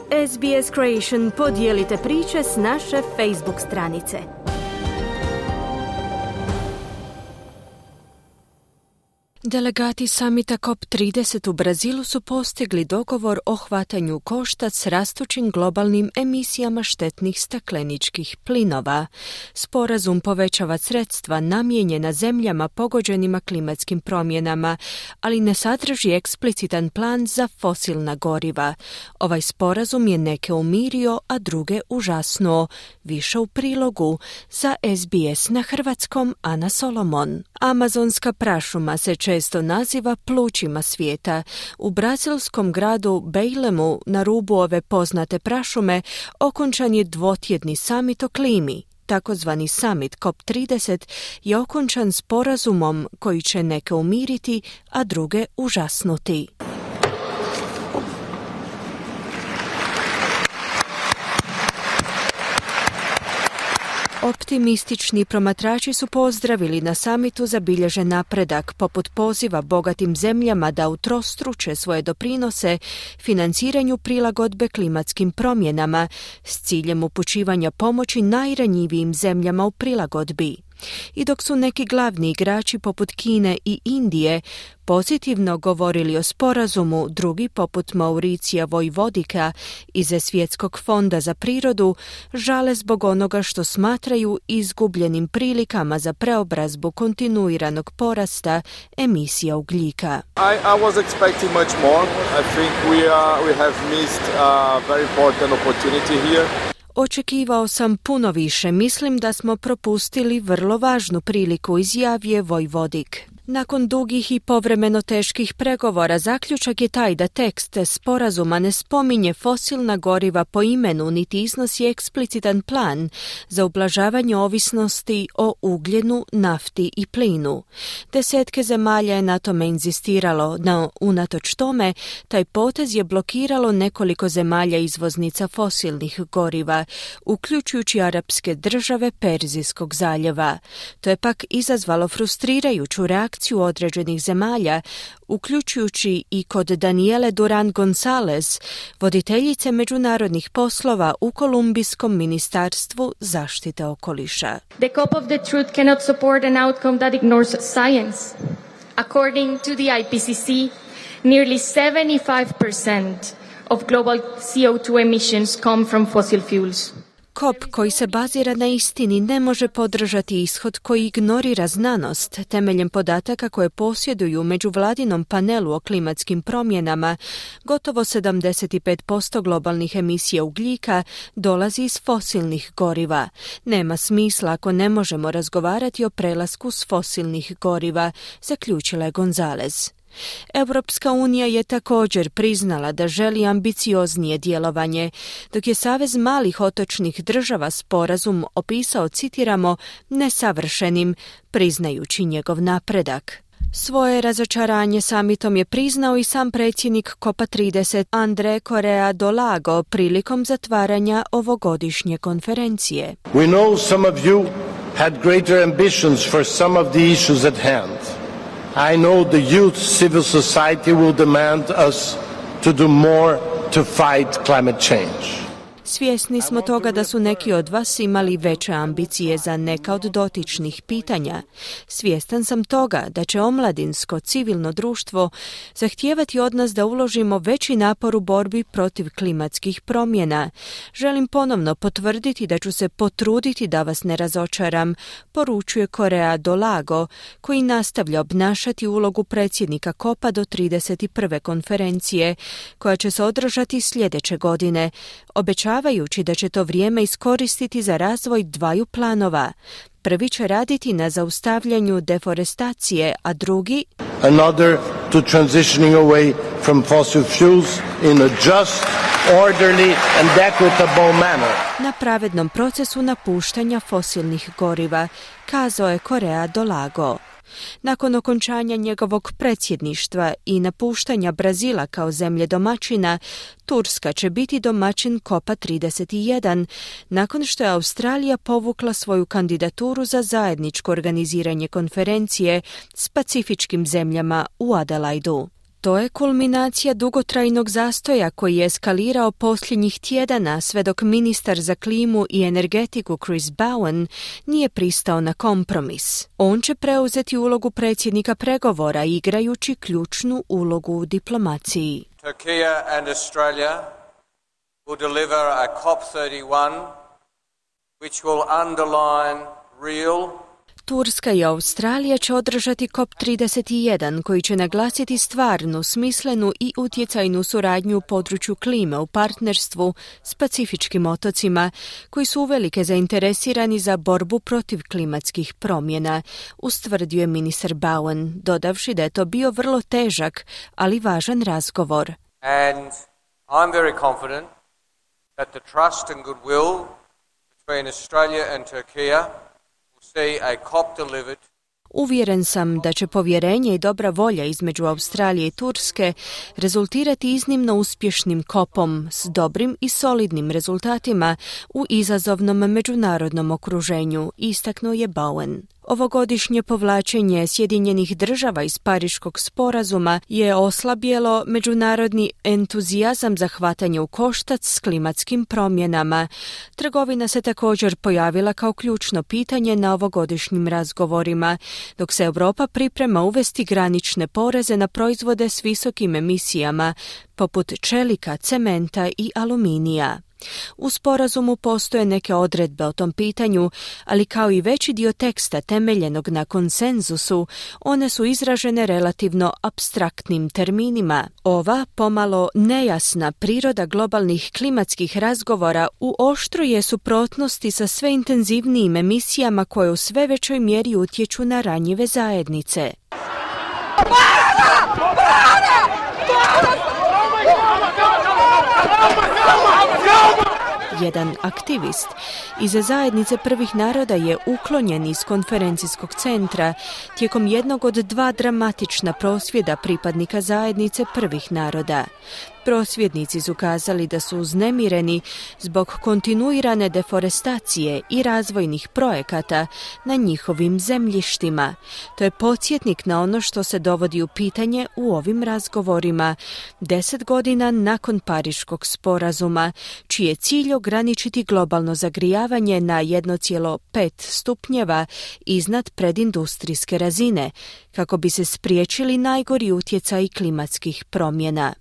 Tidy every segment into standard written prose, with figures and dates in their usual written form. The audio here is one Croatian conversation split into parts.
SBS Creation, podijelite priče s naše Facebook stranice. Delegati samita COP30 u Brazilu su postigli dogovor o hvatanju koštac s rastućim globalnim emisijama štetnih stakleničkih plinova. Sporazum povećava sredstva namijenjena zemljama pogođenima klimatskim promjenama, ali ne sadrži eksplicitan plan za fosilna goriva. Ovaj sporazum je neke umirio, a druge užasnuo. Više u prilogu. Za SBS na hrvatskom Ana Solomon. Amazonska prašuma se često naziva plućima svijeta. U brazilskom gradu Belemu, na rubu ove poznate prašume, okončan je dvotjedni samit o klimi. Takozvani samit COP30 je okončan sporazumom koji će neke umiriti, a druge užasnuti. Optimistični promatrači su pozdravili na samitu zabilježen napredak, poput poziva bogatim zemljama da utrostruče svoje doprinose financiranju prilagodbe klimatskim promjenama s ciljem upućivanja pomoći najranjivijim zemljama u prilagodbi. I dok su neki glavni igrači poput Kine i Indije pozitivno govorili o sporazumu, drugi poput Mauricija Vojvodika iz Svjetskog fonda za prirodu žale zbog onoga što smatraju izgubljenim prilikama za preobrazbu kontinuiranog porasta emisija ugljika. I was expecting much more. I think we have missed a very important opportunity here. Očekivao sam puno više, mislim da smo propustili vrlo važnu priliku, izjavio Vojvodik. Nakon dugih i povremeno teških pregovora, zaključak je taj da tekst sporazuma ne spominje fosilna goriva po imenu, niti iznosi eksplicitan plan za ublažavanje ovisnosti o ugljenu, nafti i plinu. Desetke zemalja je na tome inzistiralo, no unatoč tome, taj potez je blokiralo nekoliko zemalja izvoznica fosilnih goriva, uključujući arapske države Perzijskog zaljeva. To je pak izazvalo frustrirajuću reakciju određenih zemalja, uključujući i kod Daniele Duran Gonzalez, voditeljice međunarodnih poslova u Kolumbijskom ministarstvu zaštite okoliša. The COP of the truth cannot support an outcome that ignores science. According to the IPCC, nearly 75% of global CO2 emissions come from fossil fuels. COP koji se bazira na istini ne može podržati ishod koji ignorira znanost. Temeljem podataka koje posjeduju međuvladinom panelu o klimatskim promjenama, gotovo 75% globalnih emisija ugljika dolazi iz fosilnih goriva. Nema smisla ako ne možemo razgovarati o prelasku s fosilnih goriva, zaključila je Gonzalez. Europska unija je također priznala da želi ambicioznije djelovanje, dok je Savez malih otočnih država sporazum opisao, citiramo, nesavršenim, priznajući njegov napredak. Svoje razočaranje samitom je priznao i sam predsjednik COP30 André Correa do Lago prilikom zatvaranja ovogodišnje konferencije. We know some of you had greater ambitions for some of the issues at hand. I know the youth civil society will demand us to do more to fight climate change. Svjesni smo toga da su neki od vas imali veće ambicije za neka od dotičnih pitanja. Svjestan sam toga da će omladinsko civilno društvo zahtijevati od nas da uložimo veći napor u borbi protiv klimatskih promjena. Želim ponovno potvrditi da ću se potruditi da vas ne razočaram, poručuje Correa do Lago, koji nastavlja obnašati ulogu predsjednika COP-a do 31. konferencije, koja će se održati sljedeće godine, obećavajući da će to vrijeme iskoristiti za razvoj dvaju planova. Prvi će raditi na zaustavljanju deforestacije, a drugi another to transitioning away from fossil fuels in a just, orderly and equitable manner. Na pravednom procesu napuštanja fosilnih goriva, kazao je Correa do Lago. Nakon okončanja njegovog predsjedništva i napuštanja Brazila kao zemlje domaćina, Turska će biti domaćin COP-a 31, nakon što je Australija povukla svoju kandidaturu za zajedničko organiziranje konferencije s pacifičkim zemljama u Adelaidu. to je kulminacija dugotrajnog zastoja koji je eskalirao posljednjih tjedana sve dok ministar za klimu i energetiku Chris Bowen nije pristao na kompromis. On će preuzeti ulogu predsjednika pregovora igrajući ključnu ulogu u diplomaciji. Turkey and Australia will deliver a COP31 which will underline real. Turska i Australija će održati COP31 koji će naglasiti stvarnu, smislenu i utjecajnu suradnju u području klime u partnerstvu s pacifičkim otocima koji su uvelike zainteresirani za borbu protiv klimatskih promjena, ustvrdio je ministar Bowen, dodavši da je to bio vrlo težak, ali važan razgovor. And I'm very confident that the trust and goodwill between Australia and Turkey Uvjeren sam da će povjerenje i dobra volja između Australije i Turske rezultirati iznimno uspješnim kopom s dobrim i solidnim rezultatima u izazovnom međunarodnom okruženju, istaknuo je Bowen. Ovogodišnje povlačenje Sjedinjenih država iz Pariškog sporazuma je oslabjelo međunarodni entuzijazam za hvatanje u koštac s klimatskim promjenama. Trgovina se također pojavila kao ključno pitanje na ovogodišnjim razgovorima, dok se Europa priprema uvesti granične poreze na proizvode s visokim emisijama, poput čelika, cementa i aluminija. U sporazumu postoje neke odredbe o tom pitanju, ali kao i veći dio teksta temeljenog na konsenzusu, one su izražene relativno apstraktnim terminima. Ova pomalo nejasna priroda globalnih klimatskih razgovora u oštroj je suprotnosti sa sve intenzivnijim emisijama koje u sve većoj mjeri utječu na ranjive zajednice. Jedan aktivist iz zajednice prvih naroda je uklonjen iz konferencijskog centra tijekom jednog od 2 dramatična prosvjeda pripadnika zajednice prvih naroda. Prosvjednici su kazali da su uznemireni zbog kontinuirane deforestacije i razvojnih projekata na njihovim zemljištima. To je podsjetnik na ono što se dovodi u pitanje u ovim razgovorima 10 godina nakon Pariškog sporazuma, čiji je cilj ograničiti globalno zagrijavanje na 1,5 stupnjeva iznad predindustrijske razine, kako bi se spriječili najgori utjecaji klimatskih promjena.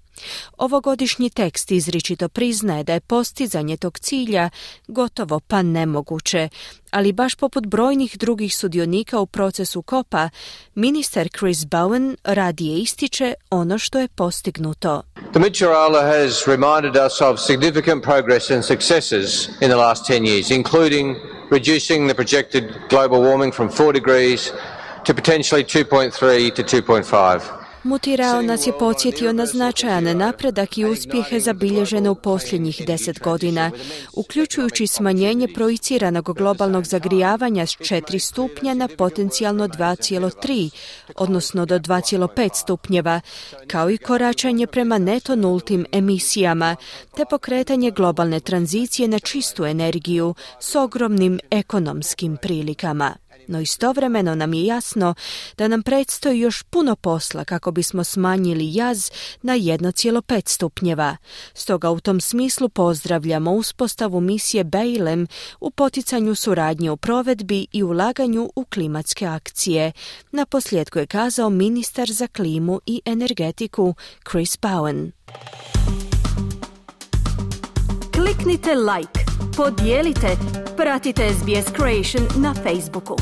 Ovogodišnji tekst izričito priznaje da je postizanje tog cilja gotovo pa nemoguće, ali baš poput brojnih drugih sudionika u procesu COP-a, ministar Chris Bowen radije ističe ono što je postignuto. The Mid-Chirala has reminded us of significant progress and successes in the last 10 years, including reducing the projected global warming from 4 degrees to potentially 2.3 to 2.5. Mutirao nas je podsjetio na značajan napredak i uspjehe zabilježene u posljednjih 10 godina, uključujući smanjenje projiciranog globalnog zagrijavanja s 4 stupnja na potencijalno 2,3, odnosno do 2,5 stupnjeva, kao i koračanje prema neto nultim emisijama, te pokretanje globalne tranzicije na čistu energiju s ogromnim ekonomskim prilikama. No istovremeno nam je jasno da nam predstoji još puno posla kako bismo smanjili jaz na 1,5 stupnjeva. Stoga u tom smislu pozdravljamo uspostavu misije BEILEM u poticanju suradnje u provedbi i ulaganju u klimatske akcije. Naposljetku je kazao ministar za klimu i energetiku Chris Bowen. Kliknite like, podijelite, pratite SBS Creation na Facebooku.